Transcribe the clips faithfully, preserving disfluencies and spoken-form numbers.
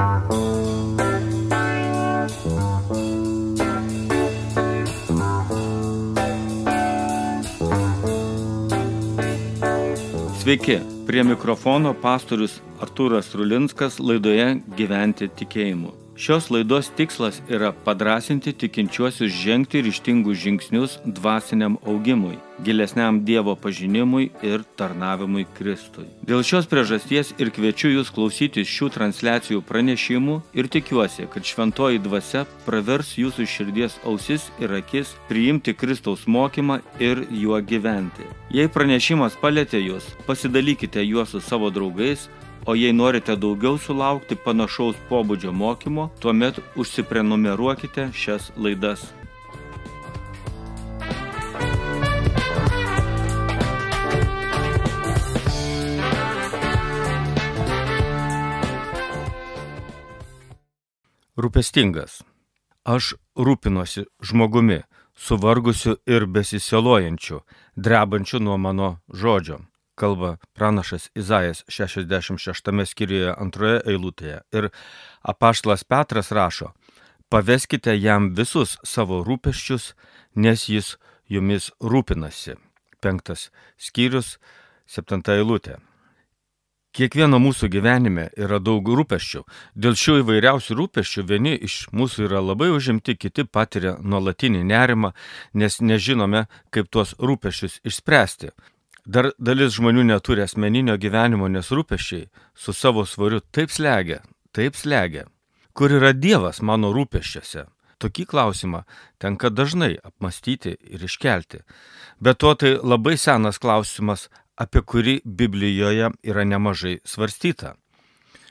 Sveiki, prie mikrofono pastorius Artūras Rulinskas laidoje Gyventi tikėjimu. Šios laidos tikslas yra padrąsinti tikinčiuosius žengti ryžtingus žingsnius dvasiniam augimui, gilesniam Dievo pažinimui ir tarnavimui Kristui. Dėl šios priežasties ir kviečiu jūs klausytis šių transliacijų pranešimų ir tikiuosi, kad šventoji dvasia pravers jūsų širdies ausis ir akis priimti Kristaus mokymą ir juo gyventi. Jei pranešimas palietė jūs, pasidalykite juos su savo draugais, o jei norite daugiau sulaukti panašaus pobūdžio mokymo, tuomet užsiprenumeruokite šias laidas. Rūpestingas. Aš rūpinuosi žmogumi, suvargusiu ir besisielojančiu, drebančiu nuo mano žodžio. Kalba pranašas Izaijas šešiasdešimt šeštame skyriuje antroje eilutėje. Ir apaštalas Petras rašo: paveskite jam visus savo rūpesčius, nes jis jumis rūpinasi. Penktas skyrius, septinta eilutė. Kiekvieno mūsų gyvenime yra daug rūpesčių. Dėl šių įvairiausių rūpesčių vieni iš mūsų yra labai užimti, kiti patiria nuolatinį nerimą, nes nežinome, kaip tuos rūpesčius išspręsti. Dar dalis žmonių neturi asmeninio gyvenimo, nes rūpesčiai su savo svoriu taip slegia, taip slegia. Kur yra Dievas mano rūpesčiuose? Tokį klausimą tenka dažnai apmastyti ir iškelti. Bet to tai labai senas klausimas, apie kurį Biblijoje yra nemažai svarstyta.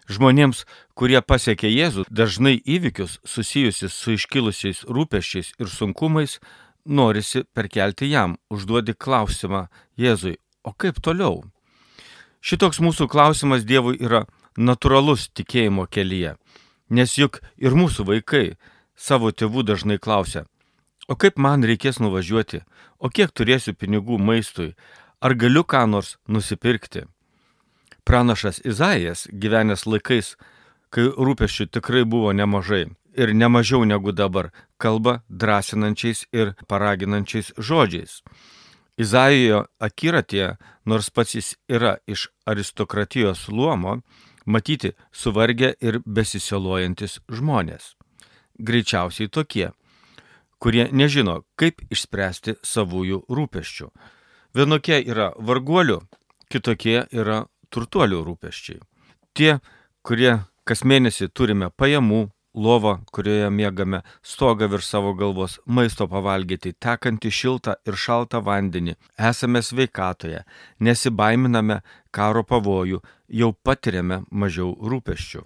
Žmonėms, kurie pasiekė Jėzų, dažnai įvykius susijusius su iškilusiais rūpesčiais ir sunkumais norisi perkelti jam, užduoti klausimą Jėzui: o kaip toliau? Šitoks mūsų klausimas Dievui yra natūralus tikėjimo kelyje, nes juk ir mūsų vaikai savo tėvų dažnai klausia: o kaip man reikės nuvažiuoti, o kiek turėsiu pinigų maistui, ar galiu ką nors nusipirkti? Pranašas Izaijas, gyvenęs laikais, kai rūpesčių tikrai buvo nemažai ir nemažiau negu dabar, kalba drąsinančiais ir paraginančiais žodžiais. Izaijo akiratyje, nors pats jis yra iš aristokratijos luomo, matyti suvargę ir besisielojantis žmonės. Greičiausiai tokie, kurie nežino, kaip išspręsti savųjų rūpesčių. Vienokie yra varguolių, kitokie yra turtuolių rūpesčiai. Tie, kurie kas mėnesį turime pajamų, lovą, kurioje miegame, stogą virš savo galvos, maisto pavalgyti, tekantį šiltą ir šaltą vandenį, esame sveikatoje, nesibaiminame karo pavojų, jau patiriame mažiau rūpesčių.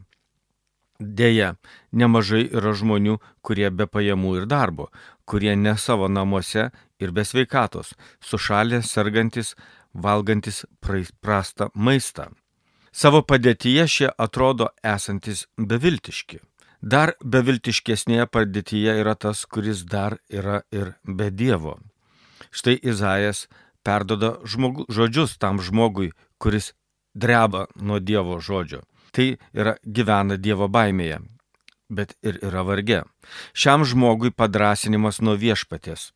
Deja, nemažai yra žmonių, kurie be pajamų ir darbo, kurie ne savo namuose ir be sveikatos, sušalę, sergantis, valgantis prastą maistą. Savo padėtyje šie atrodo esantis beviltiški. Dar beviltiškesnėje padėtyje yra tas, kuris dar yra ir be Dievo. Štai Izaijas perdoda žmogu, žodžius tam žmogui, kuris dreba nuo Dievo žodžio. Tai yra gyvena Dievo baimėje, bet ir yra varge. Šiam žmogui padrąsinimas nuo viešpaties: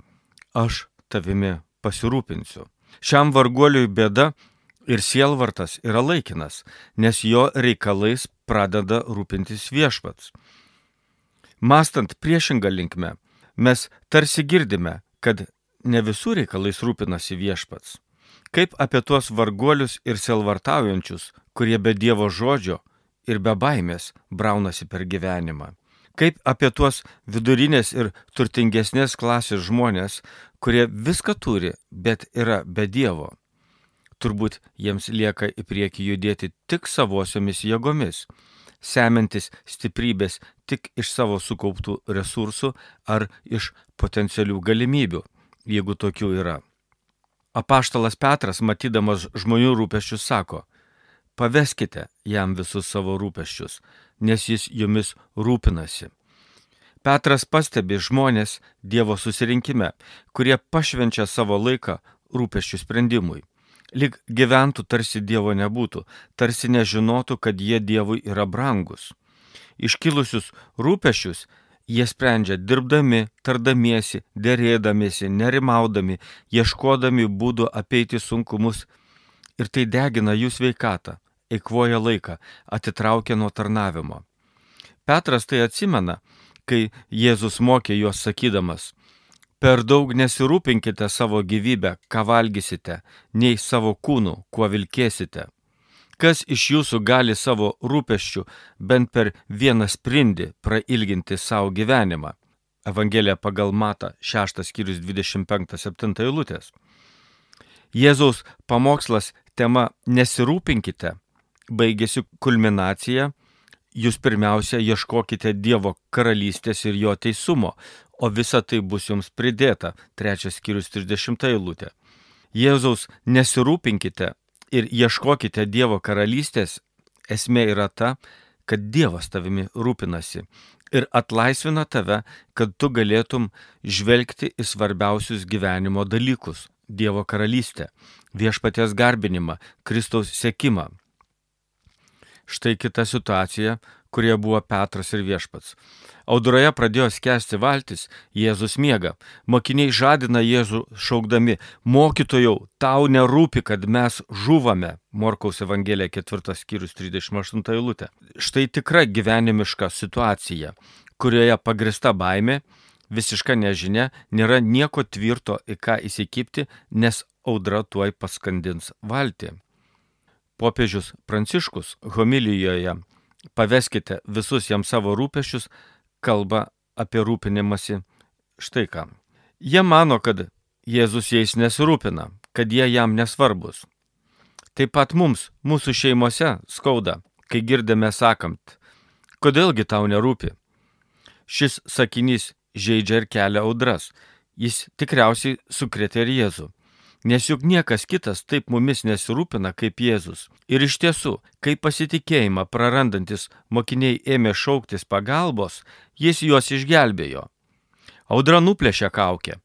aš tavimi pasirūpinsiu. Šiam varguoliui bėda ir sielvartas yra laikinas, nes jo reikalais pradeda rūpintis viešpats. Mąstant priešingą linkme, mes tarsi girdime, kad ne visų reikalais rūpinasi viešpats. Kaip apie tuos varguolius ir sielvartaujančius, kurie be Dievo žodžio ir be baimės braunasi per gyvenimą. Kaip apie tuos vidurinės ir turtingesnės klasės žmonės, kurie viską turi, bet yra be Dievo. Turbūt jiems lieka į priekį judėti tik savosiomis jėgomis, semiantis stiprybės tik iš savo sukauptų resursų ar iš potencialių galimybių, jeigu tokių yra. Apaštalas Petras, matydamas žmonių rūpesčius, sako: paveskite jam visus savo rūpesčius, nes jis jumis rūpinasi. Petras pastebi žmonės Dievo susirinkime, kurie pašvenčia savo laiką rūpesčių sprendimui. Lyg gyventų tarsi Dievo nebūtų, tarsi nežinotų, kad jie Dievui yra brangus. iškilusius rūpesčius jie sprendžia dirbdami, tardamiesi, derėdamiesi, nerimaudami, ieškodami būdų apeiti sunkumus ir tai degina jų sveikatą, eikvoja laiką, atitraukia nuo tarnavimo. Petras tai atsimena, kai Jėzus mokė juos sakydamas: per daug nesirūpinkite savo gyvybę, ką valgysite, nei savo kūnų, kuo vilkėsite. Kas iš jūsų gali savo rūpesčių bent per vieną sprindį prailginti savo gyvenimą? Evangelija pagal Matą, šeštas skyrius dvidešimt penktą septintą eilutės. Jėzaus pamokslas tema nesirūpinkite baigėsi kulminacija: jūs pirmiausia ieškokite Dievo karalystės ir jo teisumo, o visa tai bus jums pridėta. Trečias skyrius trisdešimta eilutė. Jėzaus nesirūpinkite ir ieškokite Dievo karalystės esmė yra ta, kad Dievas tavimi rūpinasi ir atlaisvina tave, kad tu galėtum žvelgti į svarbiausius gyvenimo dalykus – Dievo karalystę, viešpaties garbinimą, Kristaus sekimą. Štai kita situacija, kurie buvo Petras ir viešpats. Audroje pradėjo skęsti valtis, Jėzus miega. Mokiniai žadina Jėzų šaukdami: mokytojau, tau nerūpi, kad mes žūvame. Morkaus Evangelija ketvirtas skyrius trisdešimt aštunta eilutė. Štai tikra gyvenimiška situacija, kurioje pagrįsta baimė, visiška nežinia, nėra nieko tvirto į ką įsikibti, nes audra tuoj paskandins valtį. Popiežius Pranciškus homilijoje "Paveskite visus jam savo rūpesčius" kalba apie rūpinimąsi štai ką. Jie mano, kad Jėzus jais nesirūpina, kad jie jam nesvarbus. Taip pat mums, mūsų šeimose skauda, kai girdime sakant: kodėlgi tau nerūpi? Šis sakinys žeidžia ir kelia audras. Jis tikriausiai sukrėtė ir Jėzų. Nes juk niekas kitas taip mumis nesirūpina kaip Jėzus. Ir iš tiesų, kai pasitikėjimą prarandantis mokiniai ėmė šauktis pagalbos, jis juos išgelbėjo. Audra nuplėšia kaukę,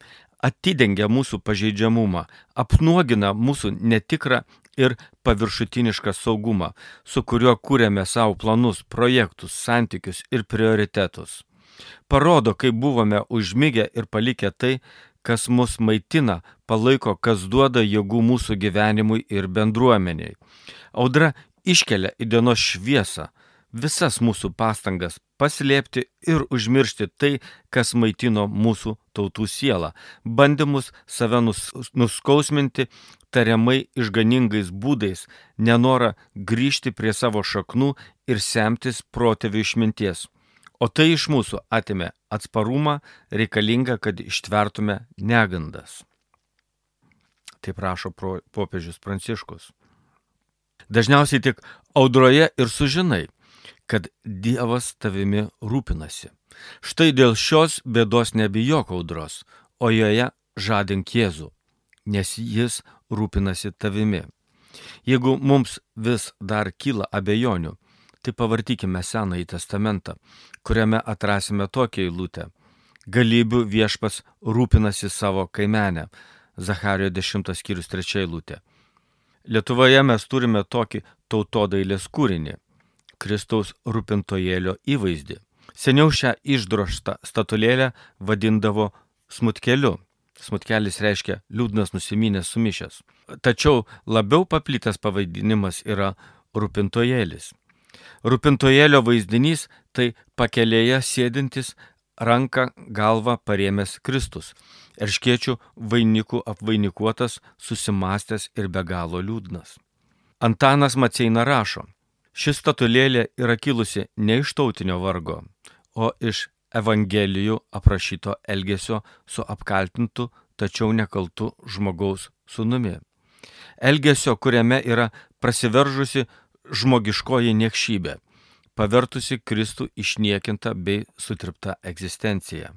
atidengia mūsų pažeidžiamumą, apnuogina mūsų netikrą ir paviršutinišką saugumą, su kuriuo kūrėme savo planus, projektus, santykius ir prioritetus. Parodo, kaip buvome užmigę ir palikę tai, kas mus maitina, palaiko, kas duoda jėgų mūsų gyvenimui ir bendruomeniai. Audra iškelia į dienos šviesą visas mūsų pastangas paslėpti ir užmiršti tai, kas maitino mūsų tautų sielą, bandymus save nus, nuskausminti tariamai išganingais būdais, nenorą grįžti prie savo šaknų ir semtis protėvių išminties. O tai iš mūsų atėmė atsparumą reikalingą, kad ištvertume negandas. Taip rašo popiežius Pranciškus. Dažniausiai tik audroje ir sužinai, kad Dievas tavimi rūpinasi. Štai dėl šios bėdos nebijok audros, o joje žadink Jėzų, nes jis rūpinasi tavimi. Jeigu mums vis dar kyla abejonių, tai pavartykime Senąjį testamentą, kuriame atrasime tokią eilutę: galybių viešpats rūpinasi savo kaimenę. Zacharijo dešimtas skyrius trečia eilutė. Lietuvoje mes turime tokį tautodailės kūrinį – Kristaus rūpintojėlio įvaizdį. Seniau šią išdrožtą statulėlę vadindavo smutkeliu. Smutkelis reiškia liūdnas nusiminęs sumišęs. Tačiau labiau paplitęs pavadinimas yra rūpintojėlis. Rūpintojėlio vaizdinys tai pakelėje sėdintis, ranką galvą parėmęs Kristus, erškėčių vainikų apvainikuotas, susimastęs ir be galo liūdnas. Antanas Maceina rašo: ši statulėlė yra kilusi ne iš tautinio vargo, o iš Evangelijų aprašyto elgesio su apkaltintu, tačiau nekaltu žmogaus sūnumi. Elgesio, kuriame yra prasiveržusi žmogiškoji niekšybė, pavertusi Kristų išniekintą bei sutriptą egzistenciją.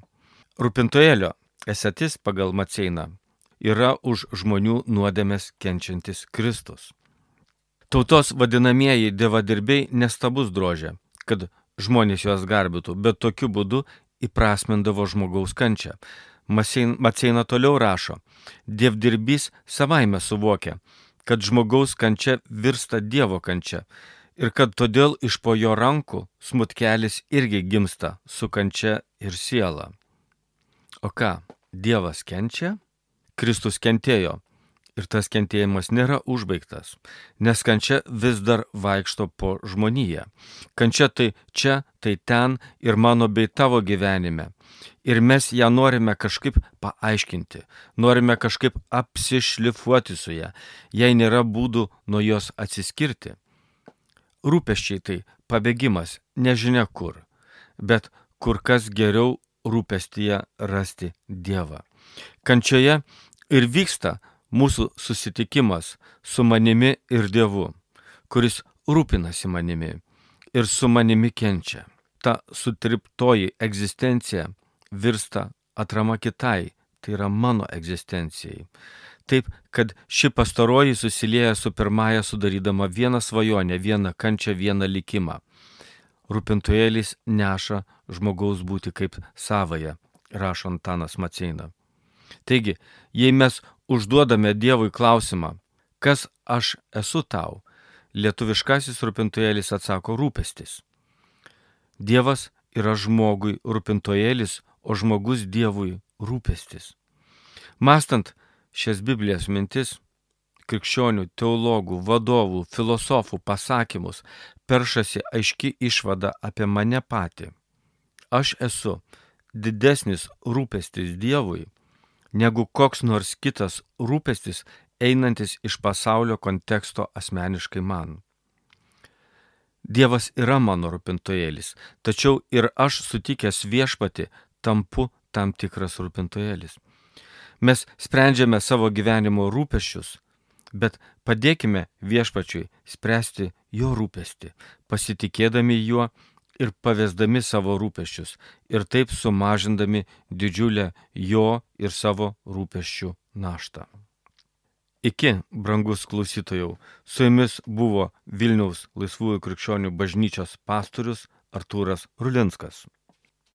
Rūpintojėlio esatis pagal Maceiną yra už žmonių nuodėmes kenčiantis Kristus. Tautos vadinamieji dievadirbiai nestabus drožia, kad žmonės juos garbytų, bet tokiu būdu įprasmindavo žmogaus kančią. Maceina toliau rašo: dievdirbys savaime suvokia, kad žmogaus kančia virsta Dievo kančia ir kad todėl iš po jo rankų smutkelis irgi gimsta su kančia ir siela. O ką, Dievas kenčia? Kristus kentėjo. Ir tas kentėjimas nėra užbaigtas, nes kančia vis dar vaikšto po žmoniją. Kančia tai čia, tai ten ir mano bei tavo gyvenime. Ir mes ją norime kažkaip paaiškinti, norime kažkaip apsišlifuoti su ją, jei nėra būdų nuo jos atsiskirti. Rūpesčiai tai pabėgimas nežinia kur, bet kur kas geriau rūpestyje rasti Dievą. Kančioje ir vyksta mūsų susitikimas su manimi ir Dievu, kuris rūpinasi manimi ir su manimi kenčia. Ta sutriptoji egzistencija virsta atrama kitai, tai yra mano egzistencijai. Taip, kad ši pastaroji susilieja su pirmąja sudarydama vieną svajonę, vieną kančią, vieną likimą. Rūpintojėlis neša žmogaus būti kaip savąją, rašo Antanas Maceina. Taigi, jei mes užduodame Dievui klausimą, kas aš esu tau, lietuviškasis rūpintojėlis atsako rūpestis. Dievas yra žmogui rūpintojėlis, o žmogus Dievui rūpestis. Mąstant šias Biblijos mintis, krikščionių, teologų, vadovų, filosofų pasakymus, peršasi aiški išvada apie mane patį. Aš esu didesnis rūpestis Dievui, negu koks nors kitas rūpestis einantis iš pasaulio konteksto asmeniškai man. Dievas yra mano rūpintojėlis, tačiau ir aš sutikęs viešpatį tampu tam tikras rūpintojėlis. Mes sprendžiame savo gyvenimo rūpesčius, bet padėkime viešpačiui spręsti jo rūpestį, pasitikėdami juo ir pavesdami savo rūpesčius ir taip sumažindami didžiulę jo ir savo rūpesčių naštą. Iki, brangus klausytojau, su jumis buvo Vilniaus Laisvųjų krikščionių bažnyčios pastorius Artūras Rulinskas.